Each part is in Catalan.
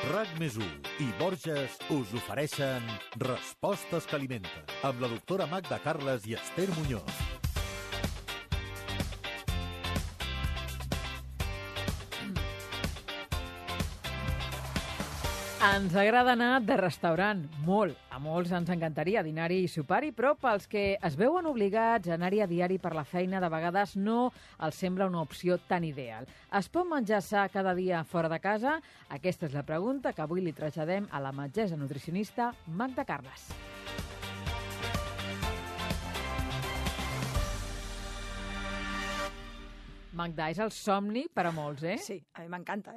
RAC+1 i Borges us ofereixen Respostes que alimenten amb la doctora Magda Carles i Esther Muñoz. Ens agrada anar de restaurant, molt. A molts ens encantaria dinar-hi i sopar-hi, però pels que es veuen obligats a anar-hi a diari per la feina, de vegades no els sembla una opció tan ideal. Es pot menjar sa cada dia fora de casa? Aquesta és la pregunta que avui li traslladem a la metgessa nutricionista Magda Carles. Magda, és el somni per a molts, eh? Sí, a mi m'encanta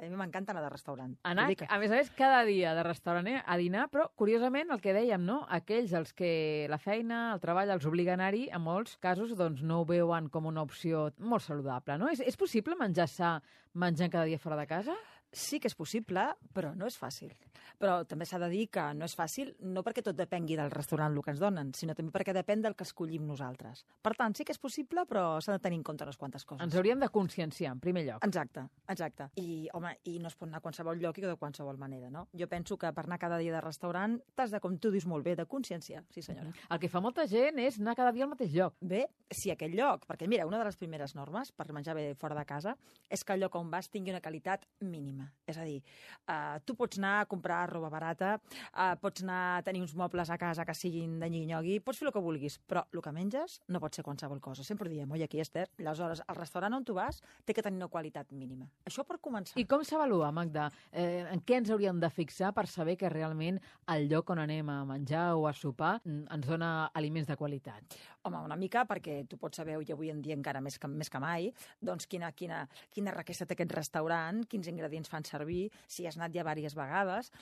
anar de restaurant. Anar, a més, cada dia de restaurant a dinar, però, curiosament, el que dèiem, no? Aquells als que la feina, el treball, els obliga a anar-hi, en molts casos, doncs, no ho veuen com una opció molt saludable, no? És possible menjar sa menjant cada dia fora de casa? Sí que és possible, però no és fàcil. Però també s'ha de dir que no és fàcil, no perquè tot depengui del restaurant el que ens donen, sinó també perquè depèn del que escollim nosaltres. Per tant, sí que és possible, però s'ha de tenir en compte unes quantes coses. Ens hauríem de conscienciar, en primer lloc. Exacte. I, home, i no es pot anar a qualsevol lloc i de qualsevol manera, no? Jo penso que per anar cada dia de restaurant t'has de, com tu dius molt bé, de conscienciar. Sí, senyora. El que fa molta gent és anar cada dia al mateix lloc. Bé, si aquell lloc, perquè mira, una de les primeres normes per menjar bé fora de casa és que el lloc on vas tingui una qualitat mínima. És a dir, tu pots anar a comprar roba barata, pots anar a tenir uns mobles a casa que siguin de nyigui-nyogui, pots fer el que vulguis, però el que menges no pot ser qualsevol cosa. Sempre diem, oi, aquí, Esther, aleshores, el restaurant on tu vas té que tenir una qualitat mínima. Això per començar. I com s'avalua, Magda? En què ens hauríem de fixar per saber que realment el lloc on anem a menjar o a sopar ens dona aliments de qualitat? Home, una mica, perquè tu pots saber, i avui en dia encara més que mai, doncs quina riquesa té aquest restaurant, quins ingredients fan servir, si has anat ja diverses vegades,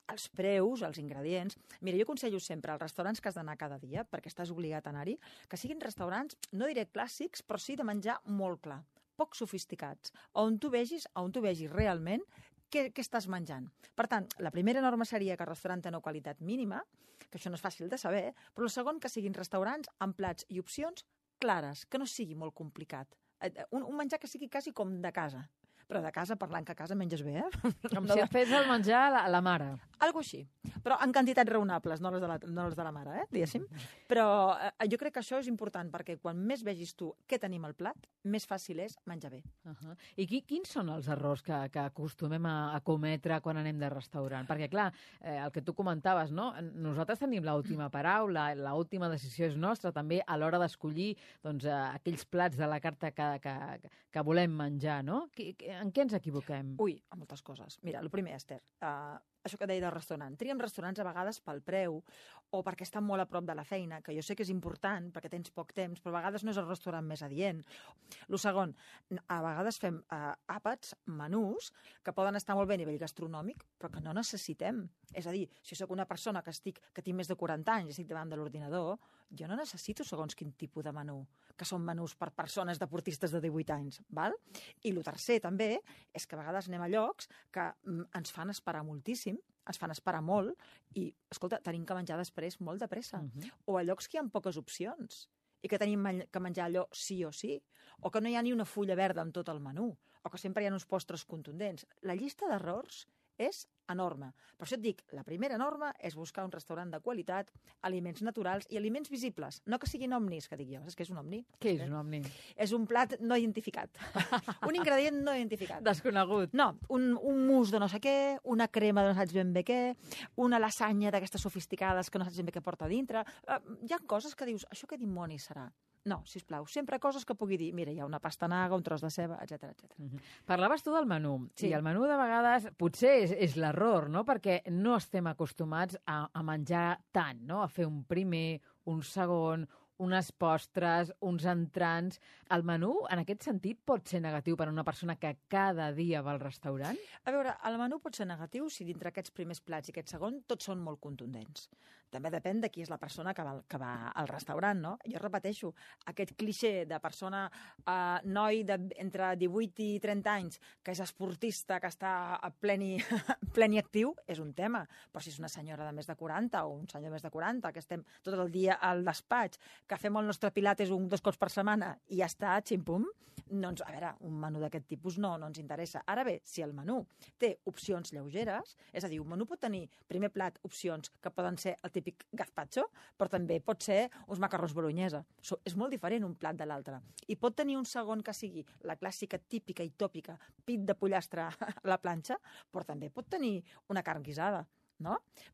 els preus, els ingredients. Mira, jo aconsello sempre als restaurants que has d'anar cada dia, perquè estàs obligat a anar-hi, que siguin restaurants, no diré clàssics, però sí de menjar molt clar, poc sofisticats, on tu vegis realment què estàs menjant. Per tant, la primera norma seria que el restaurant té una qualitat mínima, que això no és fàcil de saber, però el segon, que siguin restaurants amb plats i opcions clares, que no sigui molt complicat. Un menjar que sigui quasi com de casa. Però de casa, parlant que a casa menges bé, eh? Com si et fes el menjar a la mare. Algo així, però en quantitats raonables, no les de la mare, diguéssim. Però jo crec que això és important, perquè quan més vegis tu què tenim al plat, més fàcil és menjar bé. I quins són els errors que acostumem a cometre quan anem de restaurant? Perquè, clar, el que tu comentaves, no? Nosaltres tenim l'última paraula, l'última decisió és nostra, també a l'hora d'escollir aquells plats de la carta que volem menjar, no? En què ens equivoquem? Ui, a moltes coses. Mira, el primer, Esther, això que deia del restaurant. Triem restaurants a vegades pel preu o perquè estan molt a prop de la feina, que jo sé que és important perquè tens poc temps, però a vegades no és el restaurant més adient. El segon, a vegades fem àpats, menús, que poden estar molt bé a nivell gastronòmic, però que no necessitem. És a dir, si sóc una persona que tinc més de 40 anys i estic davant de l'ordinador, jo no necessito segons quin tipus de menú, que són menús per persones deportistes de 18 anys, val? I el tercer també és que a vegades anem a llocs que ens fan esperar moltíssim, ens fan esperar molt i, escolta, tenim que menjar després molt de pressa. O a llocs que hi ha poques opcions i que tenim que menjar allò sí o sí, o que no hi ha ni una fulla verda en tot el menú, o que sempre hi ha uns postres contundents. La llista d'errors és enorme. Per això et dic, la primera norma és buscar un restaurant de qualitat, aliments naturals i aliments visibles. No que siguin omnis, que dic jo. Saps què és un omni? Què és un omni? És un plat no identificat. Un ingredient no identificat. Desconegut. No, un mousse de no sé què, una crema de no saps ben bé què, una lasanya d'aquestes sofisticades que no saps ben bé què porta a dintre. Hi ha coses que dius, això què dimoni serà? No, sisplau, sempre coses que pugui dir, mira, hi ha una pastanaga, un tros de ceba, etc. Parlaves tu del menú, sí. I el menú de vegades potser és l'error, no? Perquè no estem acostumats a menjar tant, no? A fer un primer, un segon, unes postres, uns entrants. El menú, en aquest sentit, pot ser negatiu per a una persona que cada dia va al restaurant? A veure, el menú pot ser negatiu si dintre aquests primers plats i aquest segon tots són molt contundents. També depèn de qui és la persona que va al restaurant, no? Jo repeteixo, aquest clixé de persona, noi entre 18 i 30 anys, que és esportista, que està a pleni actiu, és un tema. Però si és una senyora de més de 40 o un senyor de més de 40, que estem tot el dia al despatx, que fem el nostre pilates 2 cops per setmana i ja està, xim-pum, doncs, a veure, un menú d'aquest tipus no ens interessa. Ara bé, si el menú té opcions lleugeres, és a dir, un menú pot tenir, primer plat, opcions que poden ser el típic gazpacho, però també pot ser uns macarrons bolognesa. És molt diferent un plat de l'altre. I pot tenir un segon que sigui la clàssica, típica i tòpica, pit de pollastre a la planxa, però també pot tenir una carn guisada. No?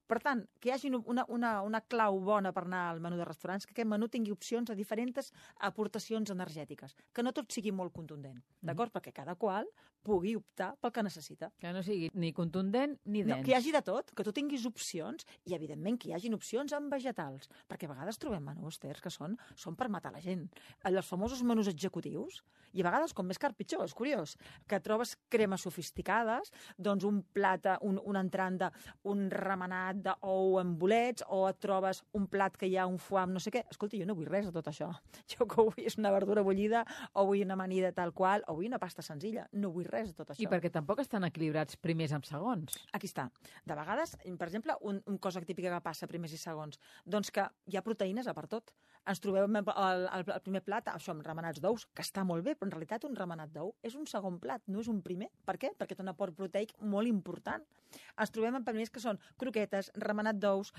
Per tant, que hi hagi una clau bona per anar al menú de restaurants, que aquest menú tingui opcions a diferents aportacions energètiques, que no tot sigui molt contundent, d'acord? Perquè cada qual pugui optar pel que necessita. Que no sigui ni contundent ni dens. No, que hi hagi de tot, que tu tinguis opcions i, evidentment, que hi hagin opcions amb vegetals, perquè a vegades trobem menús, Ter, que són per matar la gent. Els famosos menús executius, i a vegades, com més car, pitjor, és curiós, que trobes cremes sofisticades, doncs un plat, un entrant un remenat d'ou amb bolets, o et trobes un plat que hi ha un foie amb no sé què. Escolta, jo no vull res de tot això. Jo que vull és una verdura bullida, o vull una amanida tal qual, o vull una pasta senzilla. No vull res de tot això. I perquè tampoc estan equilibrats primers amb segons. Aquí està. De vegades, per exemple, una cosa típica que passa primers i segons, doncs que hi ha proteïnes a per tot. Ens trobem el primer plat, això, amb remenats d'ous, que està molt bé, però en realitat un remenat d'ou és un segon plat, no és un primer. Per què? Perquè té un aport proteic molt important. Ens trobem amb primers que són croquetes, remenat d'ous,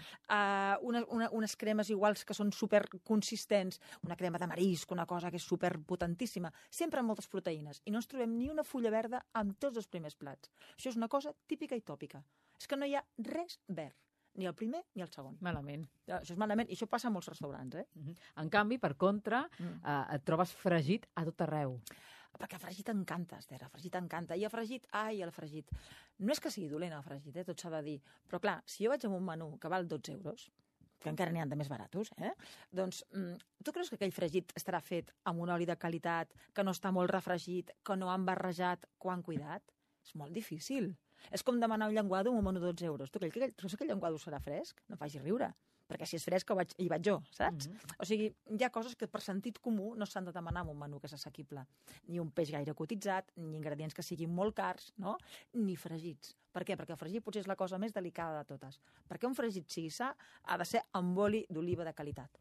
unes cremes iguals que són superconsistents, una crema de marisc, una cosa que és superpotentíssima, sempre amb moltes proteïnes. I no ens trobem ni una fulla verda amb tots els primers plats. Això és una cosa típica i tòpica. És que no hi ha res verd. Ni el primer ni el segon. Malament. Això és malament, i això passa a molts restaurants, En canvi, per contra, et trobes fregit a tot arreu. Perquè el fregit encanta, Esther, el fregit encanta. I el fregit... No és que sigui dolent el fregit, tot s'ha de dir. Però clar, si jo vaig amb un menú que val 12 euros, que encara n'hi ha de més baratos, doncs tu creus que aquell fregit estarà fet amb un oli de qualitat, que no està molt refregit, que no han barrejat, que ho han cuidat? És molt difícil. És com demanar un llenguado amb un menú de 12 euros. Tu creus que aquell llenguado serà fresc? No facis riure. Perquè si és fresc hi vaig jo, saps? O sigui, hi ha coses que per sentit comú no s'han de demanar en un menú que és assequible. Ni un peix gaire cotitzat, ni ingredients que siguin molt cars, no? Ni fregits. Per què? Perquè el fregit potser és la cosa més delicada de totes. Perquè un fregit sigui sa ha de ser amb oli d'oliva de qualitat.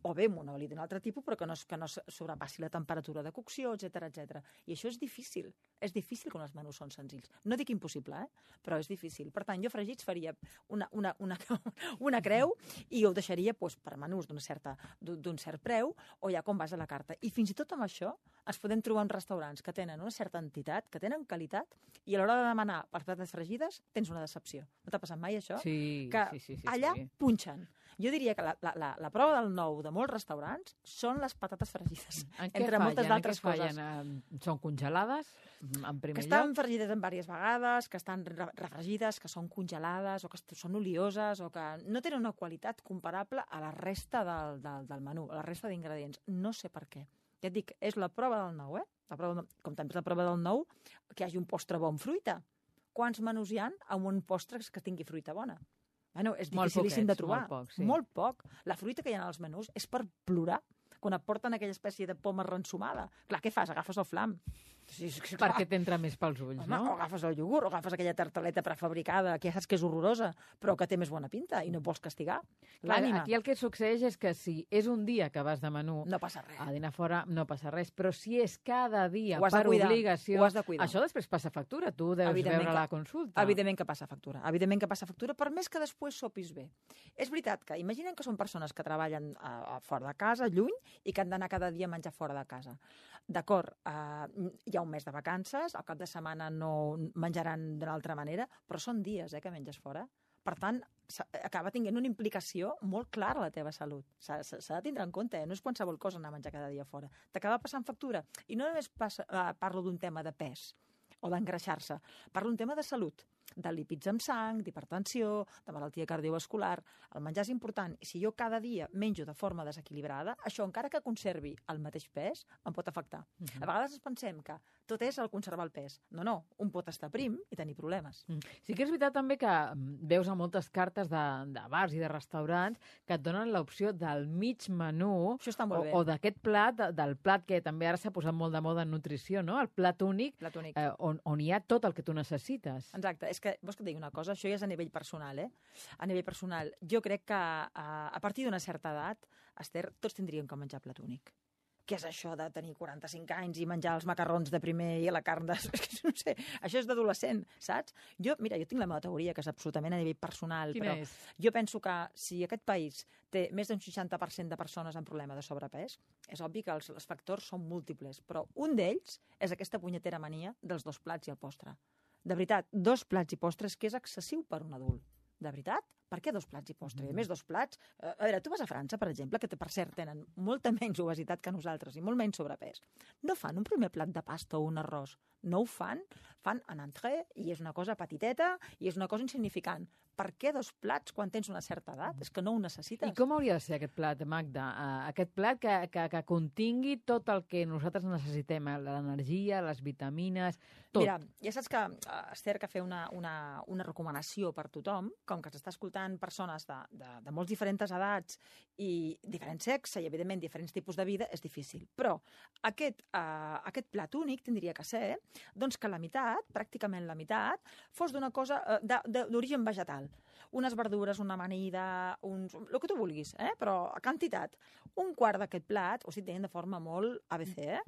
O bé amb un oli d'un altre tipus, però que no sobrepassi la temperatura de cocció, etc. I això és difícil. És difícil quan els menús són senzills. No dic impossible, però és difícil. Per tant, jo fregits faria una creu i ho deixaria per menús d'un cert preu, o ja com vas a la carta. I fins i tot amb això ens podem trobar en restaurants que tenen una certa entitat, que tenen qualitat, i a l'hora de demanar per patates fregides tens una decepció. No t'ha passat mai això? Sí. Que allà punxen. Jo diria que la prova del nou de molts restaurants són les patates fregides. Entre moltes d'altres coses. Són congelades, en primer lloc? Que estan fregides en diverses vegades, que estan refregides, que són congelades, o que són olioses, o que no tenen una qualitat comparable a la resta del menú, a la resta d'ingredients. No sé per què. Ja et dic, és la prova del nou, com també és la prova del nou que hi hagi un postre bo amb fruita. Quants menús hi ha amb un postre que tingui fruita bona? Bueno, és dificilíssim de trobar. Molt poc. La fruita que hi ha als menús és per plorar quan et porten aquella espècie de poma rensumada. Clar, què fas? Agafes el flam. Perquè t'entra més pels ulls, no? O agafes el iogurt, o agafes aquella tartaleta prefabricada, que ja saps que és horrorosa, però que té més bona pinta i no vols castigar l'ànima. Aquí el que succeeix és que si és un dia que vas de menú no passa res. A dinar fora, no passa res, però si és cada dia per obligació, això després passa factura, tu deus veure la consulta. Evidentment que passa factura, per més que després sopis bé. És veritat que imaginen que són persones que treballen fora de casa, lluny, i que han d'anar cada dia a menjar fora de casa. D'acord, hi ha un mes de vacances, al cap de setmana no menjaran d'una altra manera, però són dies que menges fora. Per tant, acaba tinguent una implicació molt clara a la teva salut. S'ha de tindre en compte, no és qualsevol cosa anar a menjar cada dia fora. T'acaba passant factura. I no només parlo d'un tema de pes o d'engreixar-se, parlo d'un tema de salut, de lípids amb sang, d'hipertensió, de malaltia cardiovascular. El menjar és important, i si jo cada dia menjo de forma desequilibrada, això, encara que conservi el mateix pes, em pot afectar. A vegades ens pensem que tot és el conservar el pes. No, un pot estar prim i tenir problemes. Sí que és veritat també que veus a moltes cartes de bars i de restaurants que et donen l'opció del mig menú Això està molt bé. o d'aquest plat, del plat que també ara s'ha posat molt de moda en nutrició, no? El plat únic, Plat únic. on hi ha tot el que tu necessites. Exacte. És que, vols que et digui una cosa? Això ja és a nivell personal, A nivell personal, jo crec que a partir d'una certa edat, Esther, tots tindríem que menjar plat únic. Què és això de tenir 45 anys i menjar els macarrons de primer i la carn de... No sé, això és d'adolescent, saps? Mira, jo tinc la meva teoria, que és absolutament a nivell personal, Quina però és? jo penso que si aquest país té més d'un 60% de persones amb problema de sobrepès, és obvi que els factors són múltiples, però un d'ells és aquesta punyetera mania dels 2 plats i el postre. De veritat, 2 plats i postres que és excessiu per un adult. De veritat? Per què 2 plats i postre? I a més, 2 plats... A veure, tu vas a França, per exemple, que per cert tenen molta menys obesitat que nosaltres i molt menys sobrepès. No fan un primer plat de pasta o un arròs. No ho fan. Fan en entrée i és una cosa petiteta i és una cosa insignificant. Per què 2 plats quan tens una certa edat? És que no ho necessites. I com hauria de ser aquest plat, Magda? Aquest plat que contingui tot el que nosaltres necessitem, l'energia, les vitamines, tot. Mira, ja saps que, Esther, que fer una recomanació per tothom, com que s'està escoltant persones de molts diferents edats i diferent sexe i, evidentment, diferents tipus de vida, és difícil. Però aquest plat únic tindria que ser doncs, que la meitat, pràcticament la meitat, fos d'una cosa d'origen vegetal. Unes verdures, una amanida, el que tu vulguis, però a quantitat. Un quart d'aquest plat, ho estic dient de forma molt ABC,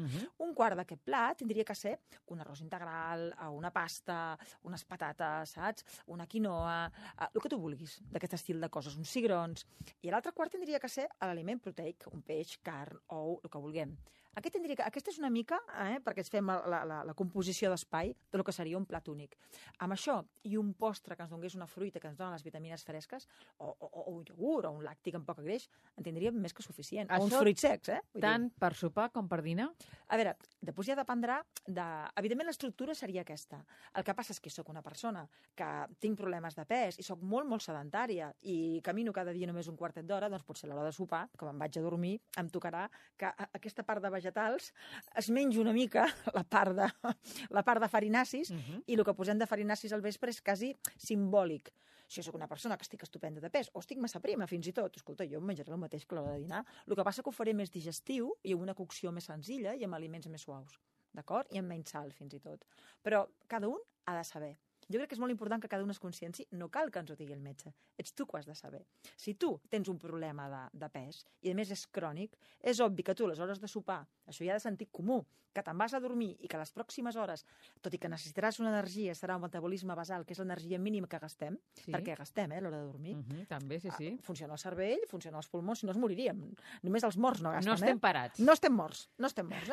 un quart d'aquest plat tindria que ser un arròs integral, una pasta, unes patates, saps? Una quinoa, el que tu vulguis, d'aquest estil de coses, uns cigrons. I l'altre quart tindria que ser l'aliment proteic, un peix, carn, ou, el que vulguem. Aquesta és una mica, perquè ens fem la composició d'espai del que seria un plat únic. Amb això i un postre que ens donés una fruita que ens dona les vitamines fresques, o un iogurt, o un làctic amb poc greix, en tindríem més que suficient. O uns fruits secs, Tant per sopar com per dinar? A veure, després ja dependrà Evidentment, l'estructura seria aquesta. El que passa és que soc una persona que tinc problemes de pes i soc molt, molt sedentària i camino cada dia només un quartet d'hora, doncs potser a l'hora de sopar, com em vaig a dormir, em tocarà que aquesta part de vegetals es mengi una mica la part de farinacis i el que posem de farinacis al vespre és quasi simbòlic. Si jo soc una persona que estic estupenda de pes o estic massa prima fins i tot, escolta, jo em menjaré el mateix que a l'hora de dinar, el que passa que ho faré més digestiu i amb una cocció més senzilla i amb aliments més suaus, d'acord? I amb menys sal fins i tot. Però cada un ha de saber. Jo crec que és molt important que cada un es conscienci, no cal que ens ho digui el metge, ets tu que ho has de saber. Si tu tens un problema de pes i a més és crònic, és obvi que tu a les hores de sopar, això ja de sentit comú, que te'n vas a dormir i que a les pròximes hores, tot i que necessitaràs una energia, serà un metabolisme basal, que és l'energia mínima que gastem, perquè gastem a l'hora de dormir. També, sí. Funciona el cervell, funciona els pulmons, si no es moriríem. Només els morts no gasten, No estem parats. No estem morts.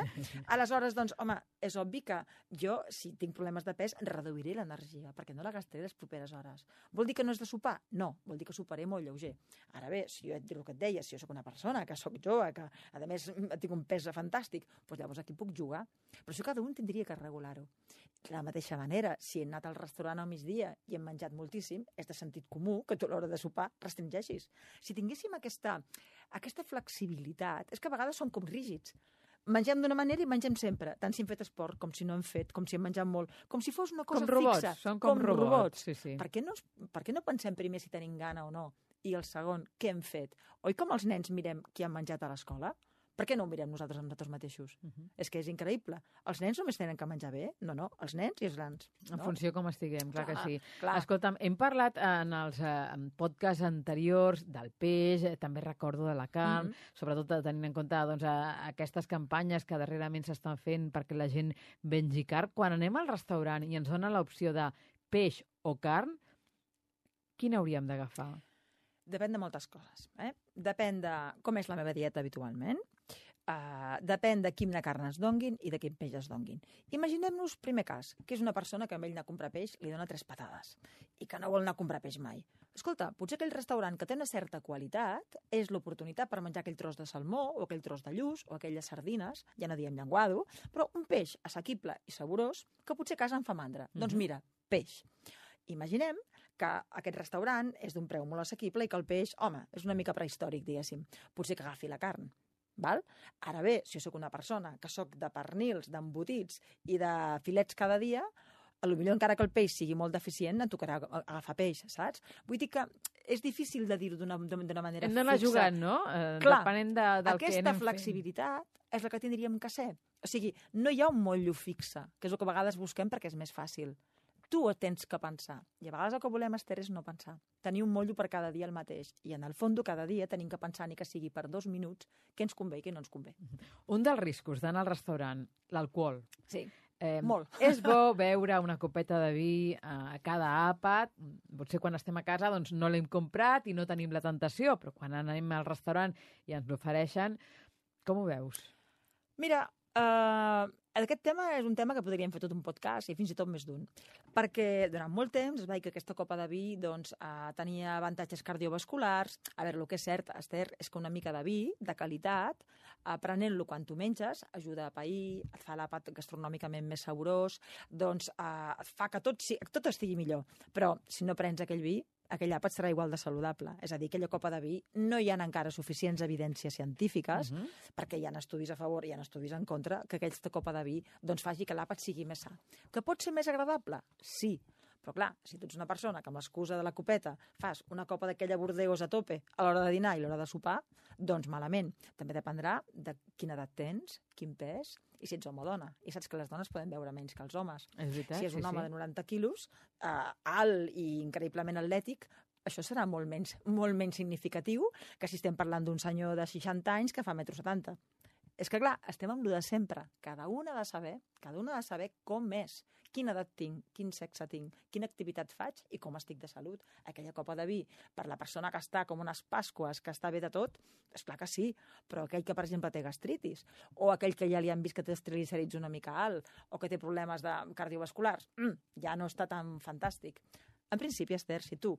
Aleshores, doncs, home, és obvi que jo, si tinc problemes de pes, reduiré l'energia, perquè no la gastaré les properes hores. Vol dir que no és de sopar? No, vol dir que soparé molt lleuger. Ara bé, si jo et dic el que et deia, si jo soc una persona que soc jove, que a més tinc un pes fantàstic, doncs llavors aquí puc jugar. Però això cada un tindria que regular-ho. De la mateixa manera, si he anat al restaurant al migdia i hem menjat moltíssim, és de sentit comú que tu a l'hora de sopar restringeixis. Si tinguéssim aquesta flexibilitat, és que a vegades som com rígids. Mengem d'una manera i mengem sempre, tant si hem fet esport com si no hem fet, com si hem menjat molt, com si fos una cosa com robots, fixa. Són com robots. Sí. Per què no pensem primer si tenim gana o no? I el segon, què hem fet? Oi com els nens mirem qui han menjat a l'escola? Per què no ho mirem nosaltres amb nosaltres mateixos? És que és increïble. Els nens només tenen que menjar bé? No, els nens i els grans. En funció com estiguem, clar que sí. Clar. Escolta'm, hem parlat en els podcasts anteriors del peix, també recordo de la carn, sobretot tenint en compte doncs, aquestes campanyes que darrerament s'estan fent perquè la gent mengi carn. Quan anem al restaurant i ens dona l'opció de peix o carn, quina hauríem d'agafar? Depèn de moltes coses. Depèn de com és la meva dieta habitualment, depèn de quina carn es donguin i de quin peix es donguin. Imaginem-nos, primer cas, que és una persona que amb ell anar a comprar peix li dona 3 patades i que no vol anar a comprar peix mai. Escolta, potser aquell restaurant que té una certa qualitat és l'oportunitat per menjar aquell tros de salmó o aquell tros de lluç o aquelles sardines, ja no diem llenguado, però un peix assequible i saborós que potser a casa em fa mandra. Doncs mira, peix. Imaginem que aquest restaurant és d'un preu molt assequible i que el peix, home, és una mica prehistòric, diguéssim. Potser que agafi la carn. Val? Ara bé, si jo sóc una persona que sóc de pernils, d'embotits i de filets cada dia, potser encara que el peix sigui molt deficient, em tocarà agafar peix, saps? Vull dir que és difícil de dir-ho d'una manera fixa. Hem d'anar jugant, no? Clar, depenent del que anem aquesta fent. flexibilitat és la que tindríem que ser. O sigui, no hi ha un motllo fixe, que és el que a vegades busquem perquè és més fàcil. Tu ho tens que pensar. I a vegades el que volem, Esther, és no pensar. Tenir un motllo per cada dia el mateix. I en el fons, cada dia tenim que pensar, ni que sigui per 2 minuts, què ens convé i què no ens convé. Un dels riscos d'anar al restaurant, l'alcohol. Sí. Molt. És bo beure una copeta de vi a cada àpat. Potser quan estem a casa doncs, no l'hem comprat i no tenim la tentació, però quan anem al restaurant i ens l'ofereixen, com ho veus? Mira, aquest tema és un tema que podríem fer tot un podcast i fins i tot més d'un. Perquè durant molt temps es va dir que aquesta copa de vi doncs, tenia avantatges cardiovasculars. A veure, el que és cert, Esther, és que una mica de vi, de qualitat, prenent-lo quan tu menges, ajuda a pair, et fa l'àpat gastronòmicament més saborós, doncs fa que tot estigui millor. Però si no prens aquell vi, aquell àpat serà igual de saludable. És a dir, aquella copa de vi no hi ha encara suficients evidències científiques, perquè hi ha estudis a favor i hi ha estudis en contra, que aquesta copa de vi doncs, faci que l'àpat sigui més sa. Que pot ser més agradable? Sí. Però clar, si tu ets una persona que amb l'excusa de la copeta fas una copa d'aquella Bordeus a tope a l'hora de dinar i a l'hora de sopar, doncs malament. També dependrà de quina edat tens, quin pes i si ets home o dona. I saps que les dones poden beure menys que els homes. És veritat, si és un home de 90 quilos, alt i increïblement atlètic, això serà molt menys significatiu que si estem parlant d'un senyor de 60 anys que fa 1,70 m. És que, clar, estem amb lo de sempre. Cada un ha de saber com és, quina edat tinc, quin sexe tinc, quina activitat faig i com estic de salut. Aquella copa de vi, per la persona que està com unes Pasques, que està bé de tot, és clar que sí, però aquell que, per exemple, té gastritis, o aquell que ja li han vist que té els triglicèrids una mica alt, o que té problemes cardiovasculars, ja no està tan fantàstic. En principi, Esther, si tu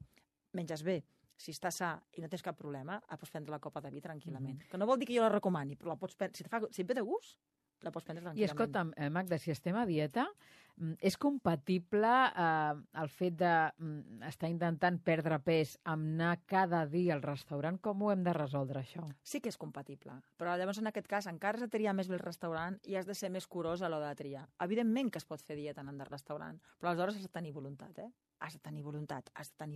menges bé, si estàs sa i no tens cap problema, pots prendre la copa de vi tranquil·lament. Que no vol dir que jo la recomani, però la pots prendre. Si et ve de gust, la pots prendre tranquil·lament. I escolta'm, Magda, si estem a dieta, és compatible el fet d'estar intentant perdre pes amb anar cada dia al restaurant? Com ho hem de resoldre, això? Sí que és compatible, però llavors en aquest cas encara has de triar més bé el restaurant i has de ser més curós a l'hora de triar. Evidentment que es pot fer dieta anant de restaurant, però aleshores has de tenir voluntat, Has de tenir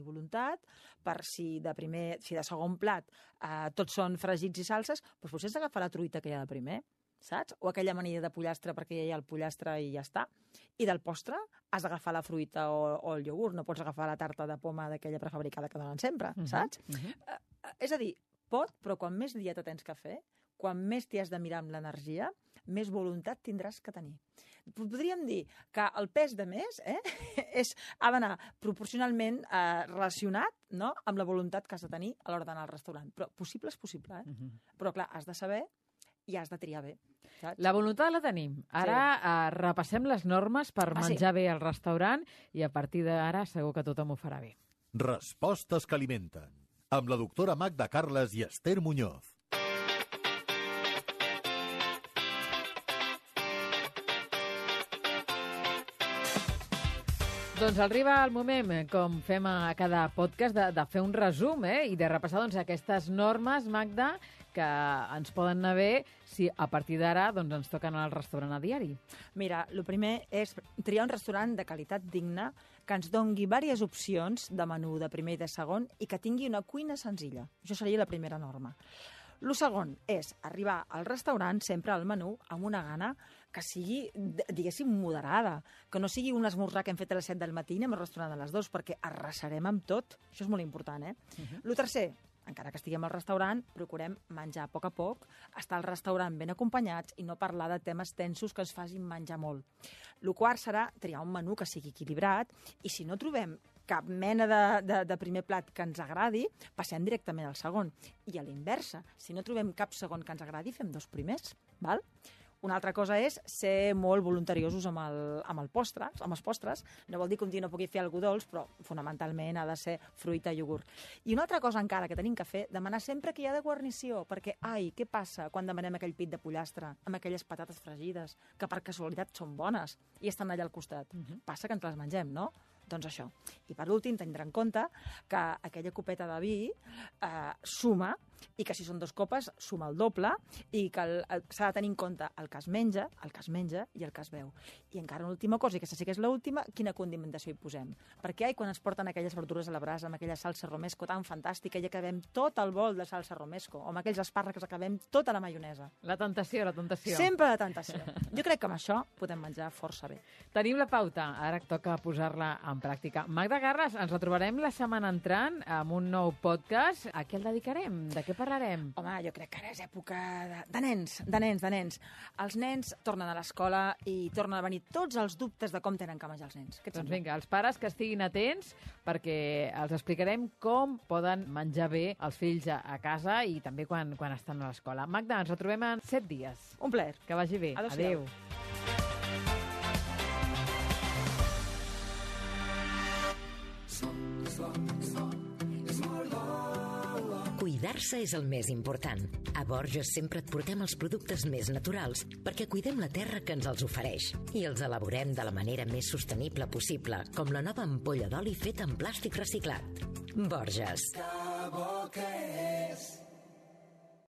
voluntat per si de segon plat tots són fregits i salses, doncs potser has d'agafar la truita que hi ha de primer, saps? O aquella amanida de pollastre perquè ja hi ha el pollastre i ja està. I del postre has d'agafar la fruita o el iogurt, no pots agafar la tarta de poma d'aquella prefabricada que donen sempre, saps? És a dir, però quan més dieta tens que fer, quan més t'hi has de mirar amb l'energia, més voluntat tindràs que tenir. Podríem dir que el pes de més ha d'anar proporcionalment relacionat, no?, amb la voluntat que has de tenir a l'hora d'anar al restaurant. Però possible és possible, Però clar, has de saber i has de triar bé. Saps? La voluntat la tenim. Ara repassem les normes per menjar bé al restaurant i a partir d'ara segur que tothom ho farà bé. Respostes que alimenten. Amb la doctora Magda Carles i Esther Muñoz. Doncs arriba el moment, com fem a cada podcast, de fer un resum i de repassar aquestes normes, Magda, que ens poden anar bé si a partir d'ara ens toca anar al restaurant a diari. Mira, el primer és triar un restaurant de qualitat digna que ens dongui diverses opcions de menú de primer i de segon i que tingui una cuina senzilla. Això seria la primera norma. El segon és arribar al restaurant sempre al menú amb una gana que sigui, diguéssim, moderada, que no sigui un esmorzar que hem fet a les 7 del matí i anem al restaurant a les 2, perquè arrasarem amb tot. Això és molt important, El tercer, encara que estiguem al restaurant, procurem menjar a poc, estar al restaurant ben acompanyats i no parlar de temes tensos que ens facin menjar molt. El quart serà triar un menú que sigui equilibrat i si no trobem cap mena de primer plat que ens agradi, passem directament al segon. I a l'inversa, si no trobem cap segon que ens agradi, fem 2 primers, val? Una altra cosa és ser molt voluntariosos amb els postres. No vol dir que un dia no pugui fer algú dolç, però fonamentalment ha de ser fruita i iogurt. I una altra cosa encara que tenim que fer, demanar sempre que hi ha de guarnició, perquè, què passa quan demanem aquell pit de pollastre amb aquelles patates fregides, que per casualitat són bones i estan allà al costat? Passa que ens les mengem, no? Doncs això. I per últim, tindrà en compte que aquella copeta de vi suma i que si són 2 copes suma el doble i que s'ha de tenir en compte el que es menja i el que es beu. I encara una última cosa, i aquesta sí que és l'última, quina condimentació hi posem. Perquè quan es porten aquelles verdures a la brasa amb aquella salsa romesco tan fantàstica i acabem tot el bol de salsa romesco, o amb aquells espàrrecs acabem tota la maionesa. La tentació. Sempre la tentació. Jo crec que amb això podem menjar força bé. Tenim la pauta, ara toca posar-la en pràctica. Magda Garres, ens retrobarem la setmana entrant amb un nou podcast. A què el dedicarem? De què parlarem? Home, jo crec que ara és època de nens. Els nens tornen a l'escola i tornen a venir tots els dubtes de com tenen que menjar els nens. Doncs vinga, els pares que estiguin atents perquè els explicarem com poden menjar bé els fills a casa i també quan estan a l'escola. Magda, ens retrobem en 7 dies. Un plaer. Que vagi bé. Adéu-siau. Adéu. Cuidar-se és el més important. A Borges sempre et portem els productes més naturals perquè cuidem la terra que ens els ofereix i els elaborem de la manera més sostenible possible, com la nova ampolla d'oli feta en plàstic reciclat. Borges. Que bo que és.